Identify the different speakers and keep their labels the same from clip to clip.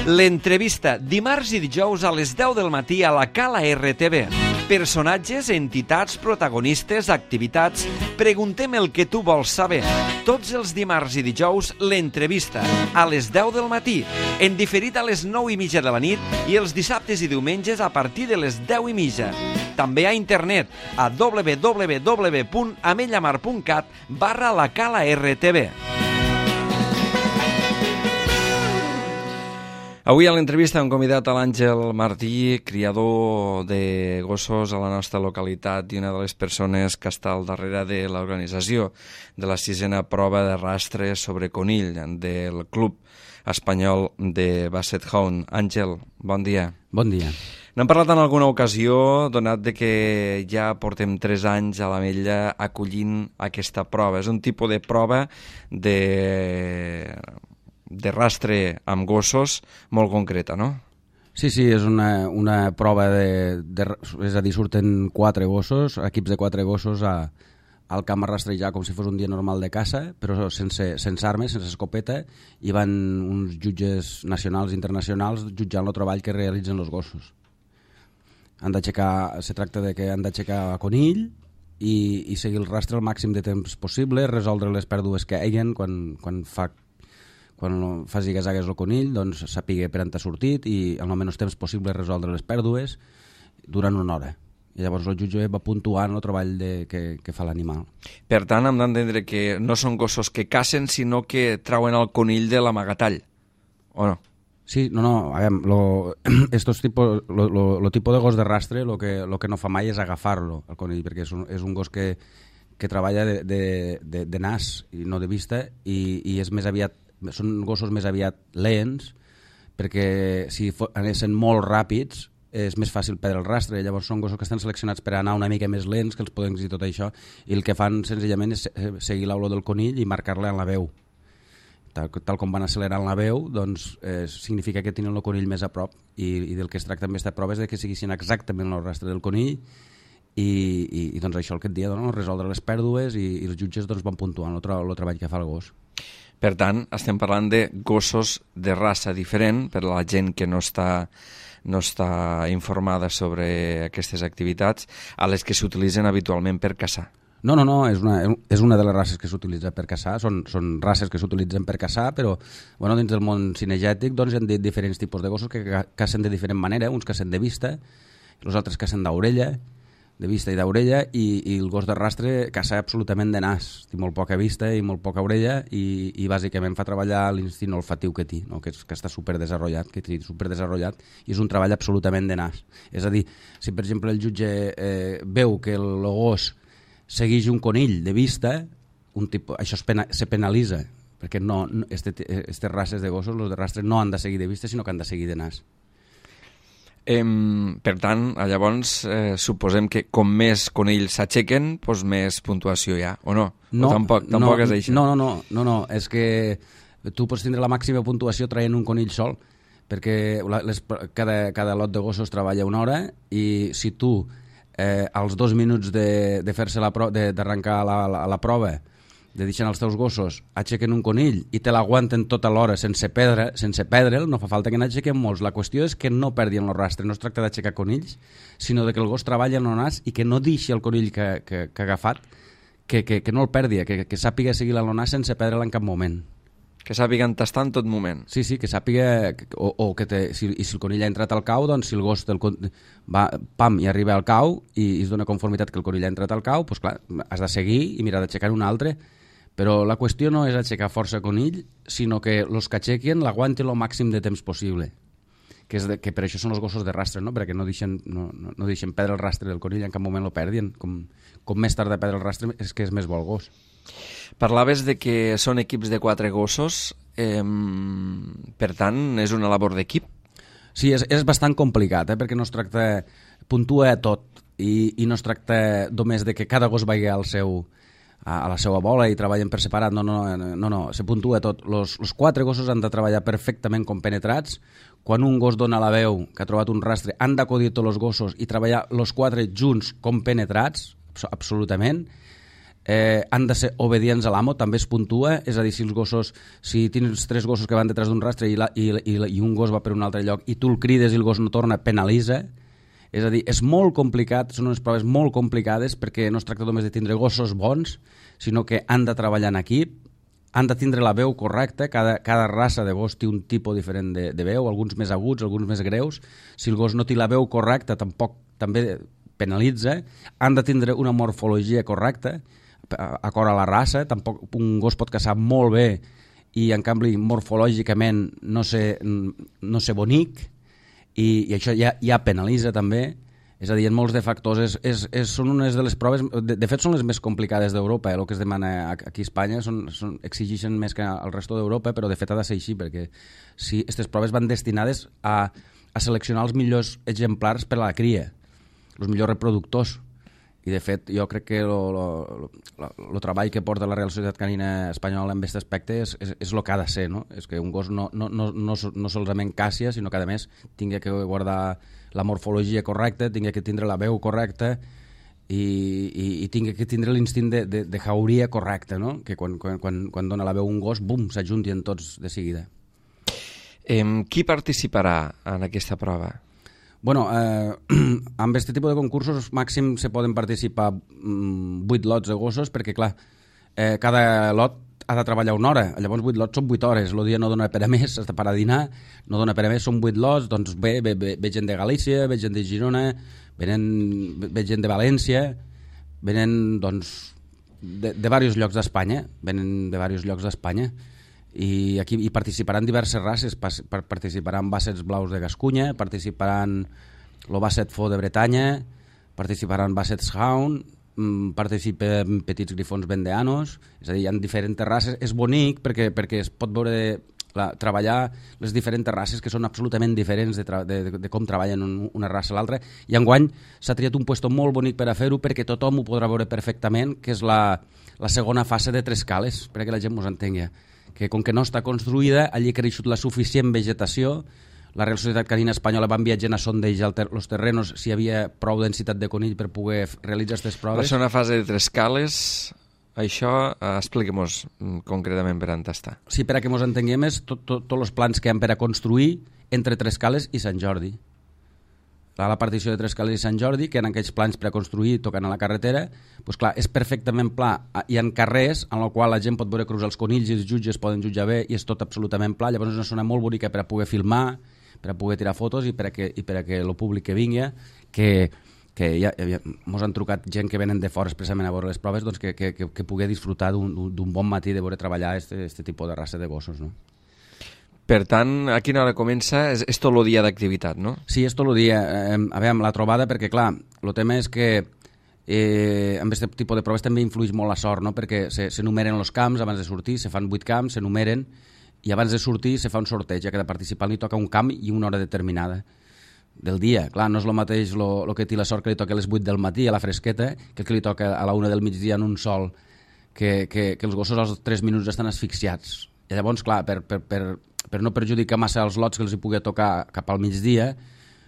Speaker 1: L'entrevista dimarts i dijous a les 10 del matí a la Cala RTV. Personatges, entitats, protagonistes, activitats. Preguntem el que tu vols saber. Tots els dimarts i dijous, l'entrevista a les 10 del matí. En diferit a les 9:30 de la nit i els dissabtes i diumenges a partir de les 10:30. També a internet a www.ametlllamar.cat/la Cala RTV. Avui a l'entrevista hem convidat a l'Àngel Martí, criador de gossos a la nostra localitat i una de les persones que està al darrere de l'organització de la 6a prova de rastre sobre conill del Club Espanyol de Basset Hound. Àngel, bon dia.
Speaker 2: Bon dia.
Speaker 1: N'hem parlat en alguna ocasió, donat de que ja portem 3 anys a l'Ametlla acollint aquesta prova. És un tipus de prova de rastre amb gossos molt concreta, no?
Speaker 2: Sí, és una prova és a dir, surten 4 gossos, equips de 4 gossos al camp a rastrejar com si fos un dia normal de caça, però sense armes, sense escopeta, i van uns jutges nacionals i internacionals jutjant el treball que realitzen els gossos. Se tracta de que han d'aixecar conill i seguir el rastre el màxim de temps possible, resoldre les pèrdues que hi ha quan fa zigue-zagues el conill, doncs sàpiga per on ha sortit i en el menys temps possible resoldre les pèrdues durant 1 hora. I llavors el jutge va puntuant el treball que fa l'animal. Per
Speaker 1: tant, hem d'entendre que no són gossos que cacen, sinó que trauen el conill de l'amagatall, o no?
Speaker 2: Sí, no, a veure, lo tipus de gos de rastre lo que no fa mai és agafar-lo, el conill, perquè és un gos que treballa de nas i no de vista i és més aviat, són gossos més aviat lents, perquè si anessin molt ràpids és més fàcil perdre el rastre. Llavors són gossos que estan seleccionats per anar una mica més lents, que els podem dir tot això, i el que fan senzillament és seguir l'olor del conill i marcar-la en la veu. Tal com van accelerant la veu, doncs significa que tenen el conill més a prop, i del que es tracta amb aquesta prova és que seguissin exactament el rastre del conill i doncs això el que et dia, resoldre les pèrdues i els jutges van puntuant el treball que fa el gos.
Speaker 1: Per tant, estem parlant de gossos de raça diferent per a la gent que no està informada sobre aquestes activitats, a les que s'utilitzen habitualment per caçar.
Speaker 2: No, és una de les races que s'utilitza per caçar, són races que s'utilitzen per caçar, però dins del món cinegètic hi ha diferents tipus de gossos que cacen de diferent manera, uns cacen de vista, els altres cacen d'orella, de vista i d'orella, i el gos de rastre caça absolutament de nas, té molt poca vista i molt poca orella i bàsicament fa treballar l'instint olfatiu que té, que està superdesenvolupat, i és un treball absolutament de nas. És a dir, si per exemple el jutge veu que el gos segueix un conill de vista, això se penalitza, perquè aquestes races de gossos, els de rastre, no han de seguir de vista, sinó que han de seguir de nas.
Speaker 1: Per tant, llavors suposem que com més conills s'aixequen, doncs més puntuació hi ha, o no?
Speaker 2: No,
Speaker 1: tampoc és això?
Speaker 2: No, és que tu pots tindre la màxima puntuació traient un conill sol, perquè cada lot de gossos treballa 1 hora i si tu als 2 minuts de fer-se d'arrencar la prova, de deixar els teus gossos aixequen un conill i te l'aguanten tota l'hora sense perdre'l, no fa falta que n'aixequen molts. La qüestió és que no perdin el rastre. No es tracta d'aixecar conills, sinó que el gos treballi en el nas i que no deixi el conill que ha agafat, que no el perdi, que sàpiga seguir el nas sense perdre'l en cap moment.
Speaker 1: Que sàpiguen tastar en tot moment.
Speaker 2: Sí, que sàpiga, si el conill ha entrat al cau, doncs si el gos va, pam, i arriba al cau i es dona conformitat que el conill ha entrat al cau, doncs clar, has de seguir i mirar d'aixecar un altre. Però la qüestió no és aixecar força conill, sinó que els que aixequen l'aguantin el màxim de temps possible. Que per això són els gossos de rastre, no? Perquè no deixen perdre el rastre del conill, en cap moment el perdien. Com més tard de perdre el rastre és que és més bo el gos.
Speaker 1: Parlaves de que són equips de 4 gossos, per tant, és una labor d'equip?
Speaker 2: Sí, és bastant complicat, perquè no es tracta... puntua tot, i no es tracta només de que cada gos vagi a la seva bola i treballen per separat, no, se puntua tot. Els 4 gossos han de treballar perfectament compenetrats. Quan un gos dona la veu que ha trobat un rastre, han d'acudir tots els gossos i treballar els 4 junts compenetrats, absolutament. han de ser obedients a l'amo, també es puntua, és a dir, si tens 3 gossos que van detrás d'un rastre i un gos va per un altre lloc i tu el crides i el gos no torna, penalitza. És a dir, és molt complicat, són unes proves molt complicades perquè no es tracta només de tindre gossos bons, sinó que han de treballar en equip, han de tindre la veu correcta, cada raça de gos té un tipus diferent de veu, alguns més aguts, alguns més greus. Si el gos no té la veu correcta, també penalitza. Han de tindre una morfologia correcta, acord a la raça. Tampoc un gos pot caçar molt bé i, en canvi, morfològicament no ser bonic, i això ja penalitza també. És a dir, en molts de factors són unes de les proves, de fet són les més complicades d'Europa, el que es demana aquí a Espanya exigeixen més que al resto d'Europa, però de fet ha de ser així, perquè si aquestes proves van destinades a seleccionar els millors exemplars per a la cria, els millors reproductors, i de fet jo crec que el treball que porta la Real Societat Canina Espanyola en aquest aspecte és el que ha de ser, no? És que un gos no solament càssia, sinó que a més tingui que guardar la morfologia correcta, tingui que tindre la veu correcta i tingui que tindre l'instint de jauria correcte, no? Que quan dona la veu un gos, bum, s'ajuntien tots de seguida.
Speaker 1: Qui participarà en aquesta prova?
Speaker 2: Bueno, amb aquest tipus de concursos màxim se poden participar 8 lots de gossos, perquè clar, cada lot ha de treballar 1 hora, llavors 8 lots són 8 hores, el dia no dona per a més, has de parar a dinar, no dona per a més, són 8 lots, doncs ve gent de Galícia, ve gent de Girona, ve gent de València, venen doncs de diversos llocs d'Espanya, i aquí hi participaran diverses races, participaran bassets blaus de Gascunya, participaran el basset faux de Bretanya, participaran bassets hound, participen petits grifons vendeanos, és a dir, hi ha diferents races. És bonic perquè es pot veure treballar les diferents races que són absolutament diferents de com treballen una raça a l'altra, i enguany s'ha triat un puesto molt bonic per a fer-ho perquè tothom ho podrà veure perfectament, que és la segona fase de Trescales, perquè la gent ens entengui, que com que no està construïda, allí ha creixut la suficient vegetació. La Real Societat Canina Espanyola van viatjant a sondejar els terrenos si hi havia prou densitat de conill per poder realitzar aquestes proves.
Speaker 1: La segona fase de Trescales, això expliquem-nos concretament per on està.
Speaker 2: Sí, per a que ens entenguem, és tots els plans que hi ha per a construir entre Trescales i Sant Jordi. La partició de Trescales i Sant Jordi, que en aquells plans per a construir tocant a la carretera, doncs clar, és perfectament pla. Hi ha carrers en el qual la gent pot veure cruzar els conills i els jutges poden jutjar bé i és tot absolutament pla. Llavors és una zona molt bonica per a poder filmar, per a poder tirar fotos i per a que el públic que vingui, que ja ens han trucat gent que venen de fora expressament a veure les proves, doncs que pugui disfrutar d'un bon matí de veure treballar aquest tipus de raça de gossos, no?
Speaker 1: Per tant, a quina hora comença? És tot el dia d'activitat, no?
Speaker 2: Sí, és tot el dia. A veure, la trobada, perquè clar, el tema és que amb aquest tipus de proves també influeix molt la sort, no? Perquè s'enumeren els camps abans de sortir, se fan 8 camps, s'enumeren, i abans de sortir se fa un sorteig, ja que de participant li toca un camp i una hora determinada del dia. Clar, no és el mateix el que té la sort que li toca a les 8 del matí, a la fresqueta, que el que li toca a la 1 del migdia en un sol, que els gossos als 3 minuts estan asfixiats. I llavors, clar, per no perjudicar massa els lots que els hi pugui tocar cap al migdia,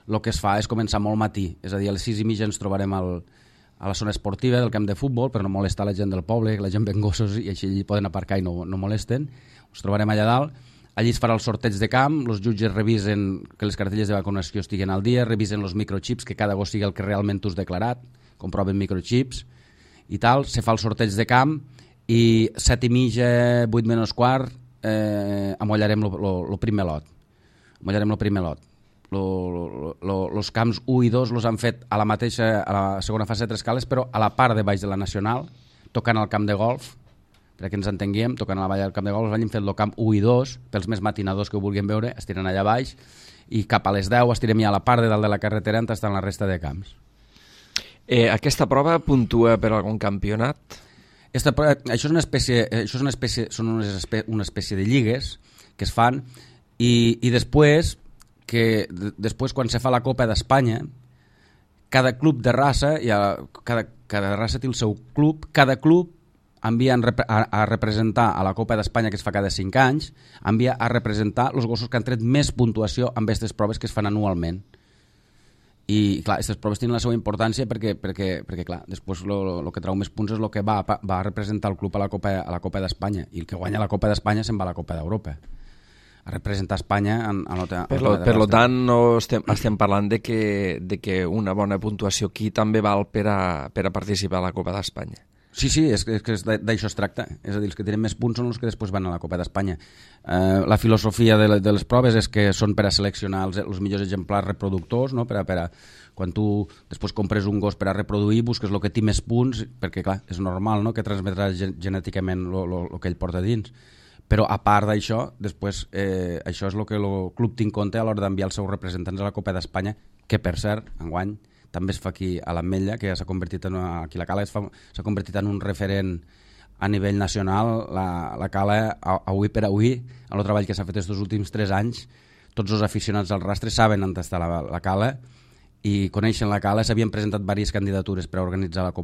Speaker 2: el que es fa és començar molt matí, és a dir, a les 6:30 ens trobarem a la zona esportiva del camp de futbol per no molestar la gent del poble, que la gent ven gossos i així allí poden aparcar i no molesten. Ens trobarem allà dalt, allí es farà el sorteig de camp, els jutges revisen que les cartelles de vacunació estiguen al dia, revisen els microchips, que cada gos sigui el que realment tu has declarat, comproven microchips i tal, se fa el sorteig de camp i 7:30, 8 menys quart, amollarem el primer lot. Els camps 1 i 2 els han fet a la segona fase de Trescales, però a la part de baix de la Nacional, tocant al camp de golf, perquè ens entenguem, tocant a la vall del camp de golf, han fet el camp 1 i 2, pels més matinadors que ho vulguin veure, estiren allà baix, i cap a les 10 estirem ja a la part de dalt de la carretera on estan la resta de camps.
Speaker 1: Aquesta prova puntua per algun campionat?
Speaker 2: Això és una espècie de lligues que es fan i després quan se fa la Copa d'Espanya, cada club de raça, cada raça té el seu club, cada club envia a representar a la Copa d'Espanya, que es fa cada 5 anys, envia a representar els gossos que han tret més puntuació amb aquestes proves que es fan anualment. I, clar, aquestes proves tenen la seva importància perquè clar, després el que trau més punts és el que va a representar el club a la Copa d'Espanya, i el que guanya la Copa d'Espanya se'n va a la Copa d'Europa a representar Espanya
Speaker 1: per tant, no estem parlant de que una bona puntuació aquí també val per a participar a la Copa d'Espanya.
Speaker 2: Sí, és que d'això es tracta. És a dir, els que tenen més punts són els que després van a la Copa d'Espanya. La filosofia de les proves és que són per a seleccionar els millors exemplars reproductors, no? Quan tu després compres un gos per a reproduir, busques el que té més punts, perquè clar, és normal, no?, que transmetrà genèticament el que ell porta dins. Però a part d'això, després això és el que el club té en compte a l'hora d'enviar els seus representants a la Copa d'Espanya, que per cert, enguany també es fa aquí a l'Ametlla, que ja s'ha convertit aquí la Cala s'ha convertit en un referent a nivell nacional. La Cala, avui per avui, en el treball que s'ha fet aquests últims 3 anys, tots els aficionats al rastre saben on està la Cala i coneixen la Cala. S'havien presentat diverses candidatures per a organitzar la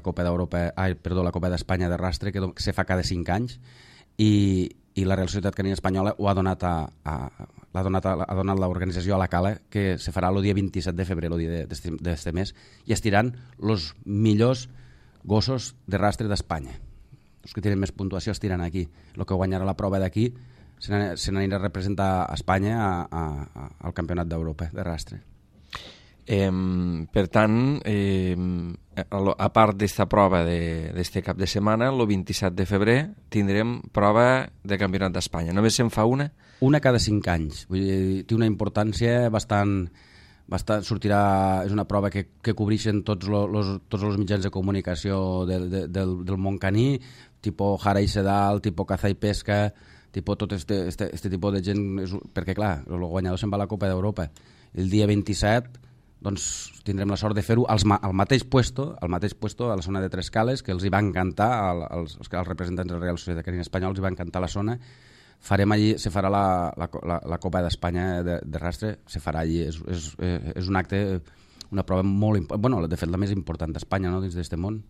Speaker 2: Copa d'Europa, la Copa d'Espanya de rastre, que se fa cada 5 anys, i la Real Societat Canina Espanyola ho ha donat ha donat l'organització a la Cala, que se farà el dia 27 de febrer, el dia d'este mes, i estiran els millors gossos de rastre d'Espanya. Els que tenen més puntuació estiran aquí. El que guanyarà la prova d'aquí se n'anirà a representar a Espanya al Campionat d'Europa de rastre.
Speaker 1: Per tant, a part d'esta prova d'este cap de setmana, el 27 de febrer tindrem prova de Campionat d'Espanya. Només se'n fa una?
Speaker 2: Una cada 5 anys. Vull dir, té una importància bastant sortirà, és una prova que cobreixen tots els mitjans de comunicació del món caní, tipus Jara i Sedal, tipus Caza i Pesca, tipus tot este tipus de gent, perquè clar, el guanyador se'n va a la Copa d'Europa. El dia 27 doncs tindrem la sort de fer-ho al mateix puesto, a la zona de Tres Cales, que els hi va encantar, als representants de la Real Societat Canina Espanyola els hi va encantar la zona. Farem allí, se farà la Copa d'Espanya de rastre, se farà allí, és un acte, una prova molt important, bueno, de fet la més important d'Espanya, no?, dins d'aquest món.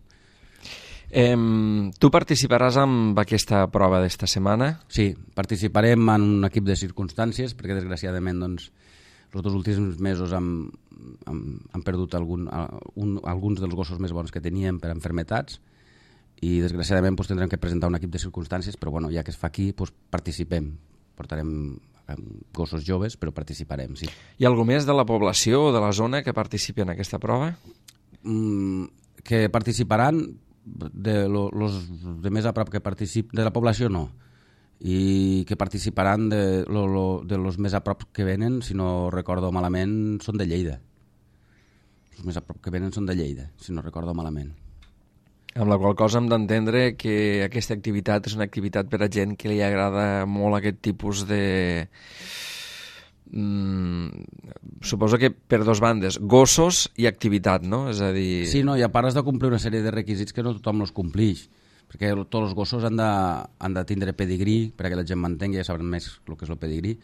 Speaker 1: Tu participaràs en aquesta prova d'esta setmana?
Speaker 2: Sí, participarem en un equip de circumstàncies, perquè desgraciadament doncs els 2 últims mesos hem perdut alguns dels gossos més bons que teníem per enfermetats, i desgraciadament doncs, tindrem que presentar un equip de circumstàncies, però bueno, ja que es fa aquí, doncs, participem. Portarem gossos joves, però participarem, sí.
Speaker 1: Hi ha algú més de la població o de la zona que participi en aquesta prova?
Speaker 2: Que participaran los de més a prop que participen, de la població no, i que participaran de los més a prop que venen, si no recordo malament, són de Lleida. Els més a prop que venen són de Lleida, si no recordo malament.
Speaker 1: Amb la qual cosa hem d'entendre que aquesta activitat és una activitat per a gent que li agrada molt aquest tipus de... Suposo que per 2 bandes, gossos i activitat, no? És a dir...
Speaker 2: Sí, no, i a part has de complir una sèrie de requisits que no tothom els complix, perquè tots els gossos han de tindre pedigrí, perquè la gent m'entengui, ja saben més el que és el pedigrí,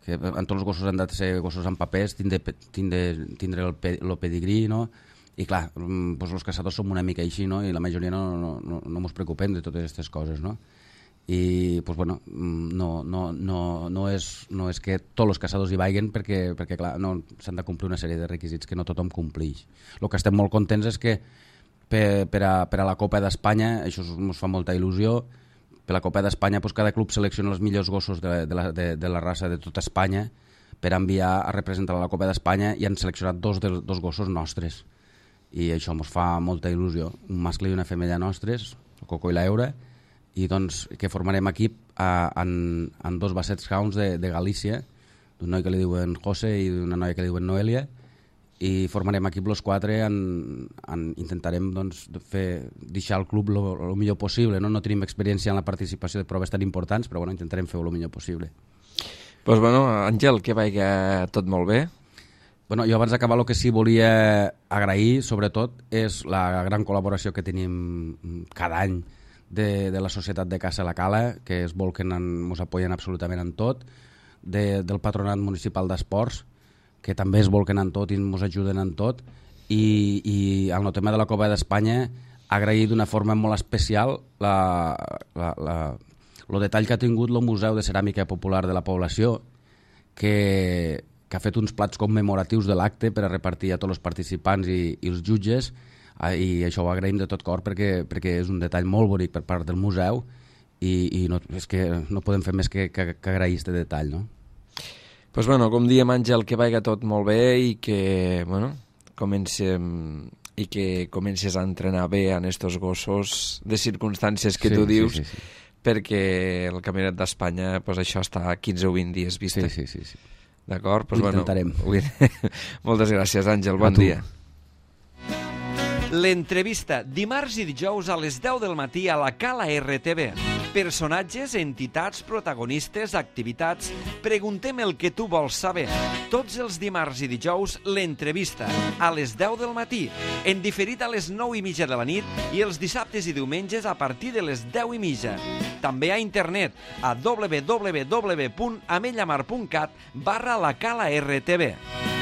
Speaker 2: que en tots els gossos han de ser gossos amb papers, tindre el pedigrí, no? I clar, doncs els caçadors som una mica així, no? I la majoria no ens preocupem de totes aquestes coses, no? I doncs, bueno, no és que tots els caçadors hi vagin, perquè clar, s'han de complir una sèrie de requisits que no tothom complix. El que estem molt contents és que per a la Copa d'Espanya, això ens fa molta il·lusió, per la Copa d'Espanya doncs cada club selecciona els millors gossos de la raça de tota Espanya per enviar a representar a la Copa d'Espanya, i han seleccionat 2 gossos nostres, i això ens fa molta il·lusió, un mascle i una femella nostres, el Coco i l'Eura, i doncs que formarem equip en 2 Basset Hounds de Galícia, d'un noi que li diuen José i d'una noia que li diuen Noelia, i formarem equip els 4, intentarem doncs, deixar el club el millor possible, no tenim experiència en la participació de proves tan importants, però bueno, intentarem fer-ho el millor possible.
Speaker 1: Doncs bueno, Àngel, que vagi tot molt bé.
Speaker 2: Bueno, jo abans d'acabar el que sí volia agrair, sobretot, és la gran col·laboració que tenim cada any de la Societat de Caça La Cala, que es volquen, ens apoyen absolutament en tot, del Patronat Municipal d'Esports, que també es volquen en tot i ens ajuden en tot, i en el tema de la Copa d'Espanya agrair d'una forma molt especial el detall que ha tingut el Museu de Ceràmica Popular de la Població, que ha fet uns plats commemoratius de l'acte per a repartir a tots els participants i els jutges, i això ho agraïm de tot cor perquè és un detall molt bonic per part del museu i no, és que no podem fer més que agrair aquest detall, no?
Speaker 1: Pues bueno, com diem, Àngel, que vagi tot molt bé i que, bueno, comences a entrenar bé en estos gossos de circumstàncies que tu dius, sí. Perquè el Campionat d'Espanya, pues això està a 15 o 20 dies vista.
Speaker 2: Sí.
Speaker 1: D'acord? Pues
Speaker 2: ho intentarem.
Speaker 1: Moltes gràcies, Àngel, bon dia. L'entrevista, dimarts i dijous a les 10 del matí a la Cala RTV. Personatges, entitats, protagonistes, activitats... Preguntem el que tu vols saber. Tots els dimarts i dijous, l'entrevista, a les 10 del matí, en diferit a les 9:30 de la nit i els dissabtes i diumenges a partir de les 10:30. També a internet, a www.amellamar.cat/la Cala RTV.